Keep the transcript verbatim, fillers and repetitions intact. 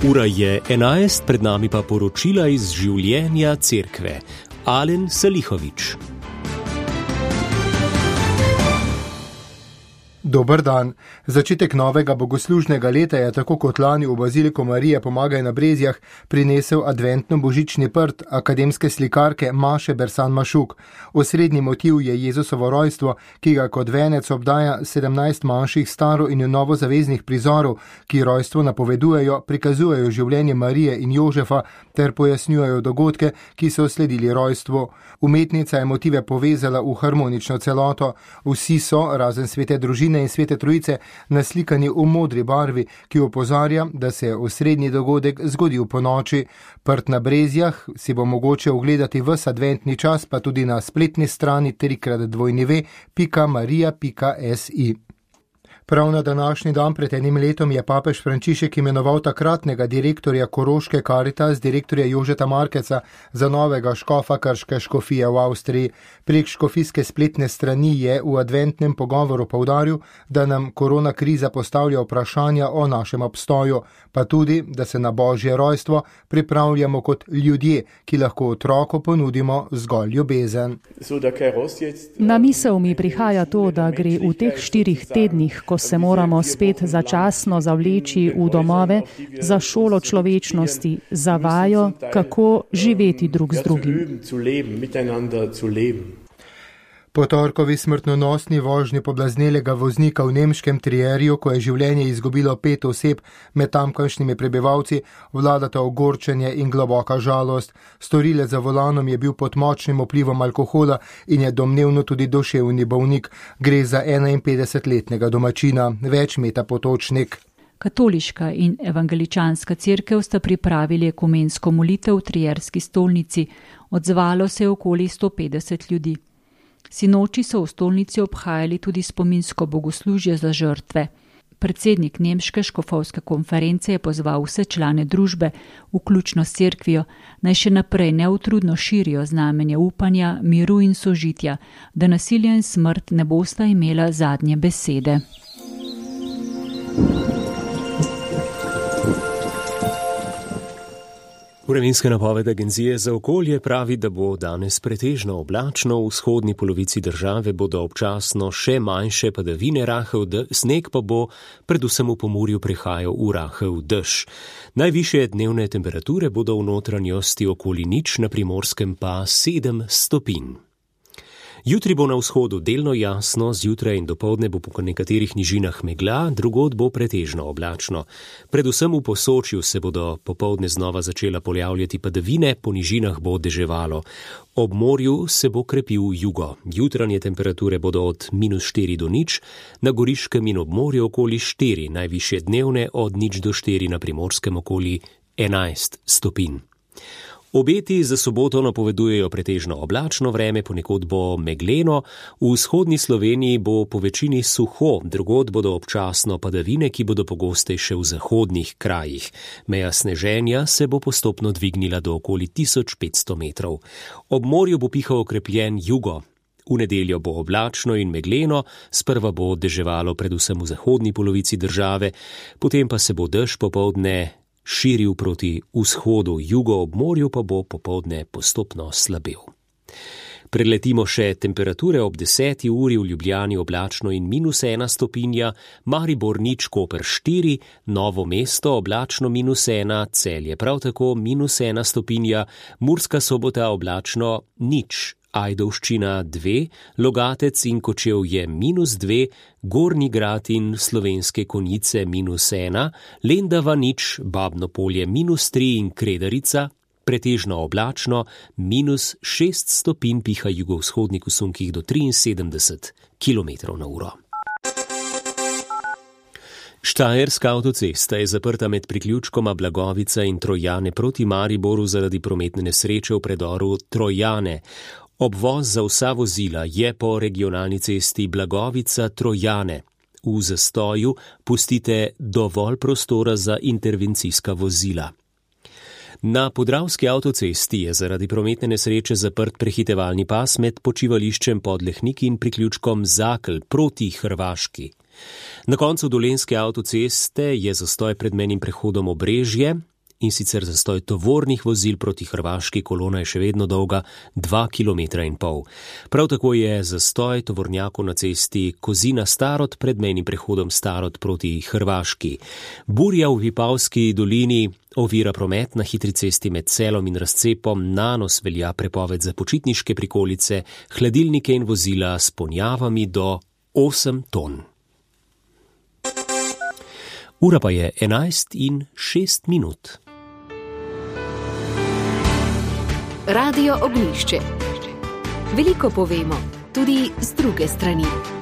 Ura je enajst, pred nami pa poročila iz življenja cerkve. Alen Salihovič. Dober dan. Začetek novega bogoslužnega leta je tako kot lani v Baziliku Marije Pomagaj na Brezjah prinesel adventno božični prt akademske slikarke Maše Bersan Mašuk. Osrednji motiv je Jezusovo rojstvo, ki ga kot venec obdaja sedemnajst manjših staro- in novozaveznih prizorov, ki rojstvo napovedujejo, prikazujejo življenje Marije in Jožefa ter pojasnjujejo dogodke, ki so sledili rojstvu. Umetnica je motive povezala v harmonično celoto. Vsi so, razen svete družine in svete trojice, naslikani v modri barvi, ki opozarja, da se je osrednji dogodek zgodil po noči. Prt na Brezjah si bo mogoče ogledati ves adventni čas, pa tudi na spletni strani trikrat dvojni ve pika marija pika si. Prav na današnji dan pred enim letom je papež Frančišek imenoval takratnega direktorja Koroške Karitas, direktorja Jožeta Markeca, za novega škofa krške škofije v Avstriji. Prek škofijske spletne strani je v adventnem pogovoru poudaril, da nam korona kriza postavlja vprašanja o našem obstoju, pa tudi, da se na božje rojstvo pripravljamo kot ljudje, ki lahko otroku ponudimo zgolj ljubezen. Na misel mi prihaja to, da gre v teh štirih tednih, ko se moramo spet začasno zavleči v domove, za šolo človečnosti, za vajo, kako živeti drug z drugim. Po torkovi smrtonosni vožnji poblaznelega voznika v nemškem Trierju, ko je življenje izgubilo pet oseb med tamkajšnjimi prebivalci, vladata ogorčenje in globoka žalost. Storilec za volanom je bil pod močnim vplivom alkohola in je domnevno tudi duševni bolnik. Gre za enainpetdesetletnega domačina, več Meta Potočnik. Katoliška in evangeličanska cerkev sta pripravili ekumensko molitev v Trierski stolnici. Odzvalo se je okoli sto petdeset ljudi. Sinoči so v stolnici obhajali tudi spominsko bogoslužje za žrtve. Predsednik nemške škofovske konference je pozval vse člane družbe, vključno s cerkvijo, naj še naprej neutrudno širijo znamenje upanja, miru in sožitja, da nasilje in smrt ne bosta imela zadnje besede. Vremenska napoved Agencije za okolje pravi, da bo danes pretežno oblačno, v vzhodni polovici države bodo občasno še manjše padavine, rahel sneg pa bo predvsem v Pomurju prehajal v rahel dež. Najvišje dnevne temperature bodo v notranjosti okoli nič, na Primorskem pa sedem stopinj. Jutri bo na vzhodu delno jasno, zjutraj in dopoldne bo po nekaterih nižinah megla, drugod bo pretežno oblačno. Predvsem v Posočju se bodo popoldne znova začela pojavljati padavine, po nižinah bo deževalo. Ob morju se bo krepil jugo. Jutranje temperature bodo od minus štiri do nič, na Goriškem in ob morju okoli štiri, najvišje dnevne od nič do štiri, na Primorskem okoli enajst stopinj. Obeti za soboto napovedujejo pretežno oblačno vreme, ponekod bo megleno, v vzhodni Sloveniji bo po večini suho, drugod bodo občasno padavine, ki bodo pogostejše v zahodnih krajih. Meja sneženja se bo postopno dvignila do okoli tisoč petsto metrov. Ob morju bo pihal okrepljen jugo. V nedeljo bo oblačno in megleno, sprva bo deževalo predvsem v zahodni polovici države, potem pa se bo dež popoldne širil proti vzhodu, jugo ob morju pa bo popoldne postopno slabel. Preletimo še temperature ob deseti uri, v Ljubljani oblačno in minus ena stopinja, Maribor nič, Koper štiri, Novo mesto oblačno minus ena, Celje prav tako minus ena stopinja, Murska Sobota oblačno nič, Ajdovščina dve, Logatec in Kočevje minus dve, Gornji Grad in Slovenske Konjice minus ena, Lendava nič, Babno Polje minus tri in Kredarica, pretežno oblačno, minus šest stopinj, piha jugovzhodnik v sunkih do triinsedemdeset kilometrov na uro. Štajerska avtocesta je zaprta med priključkoma Blagovica in Trojane proti Mariboru zaradi prometne nesreče v predoru Trojane. Obvoz za vsa vozila je po regionalni cesti Blagovica-Trojane. V zastoju pustite dovolj prostora za intervencijska vozila. Na podravski avtocesti je zaradi prometne nesreče zaprt prehitevalni pas med počivališčem Podlehniki in priključkom Zakl proti Hrvaški. Na koncu dolenjske avtoceste je zastoj pred mejnim prehodom Obrežje, in sicer zastoj tovornih vozil proti Hrvaški, kolona je še vedno dolga dva kilometra in pol. Prav tako je zastoj tovornjakov na cesti Kozina-Starod pred mejnim prehodom Starod proti Hrvaški. Burja v Vipavski dolini ovira promet na hitri cesti med Celom in Razcepom, na nos velja prepoved za počitniške prikolice, hladilnike in vozila s ponjavami do osem ton. Ura pa je enajst in šest minut. Radio Ognjišče. Veliko povemo, tudi z druge strani.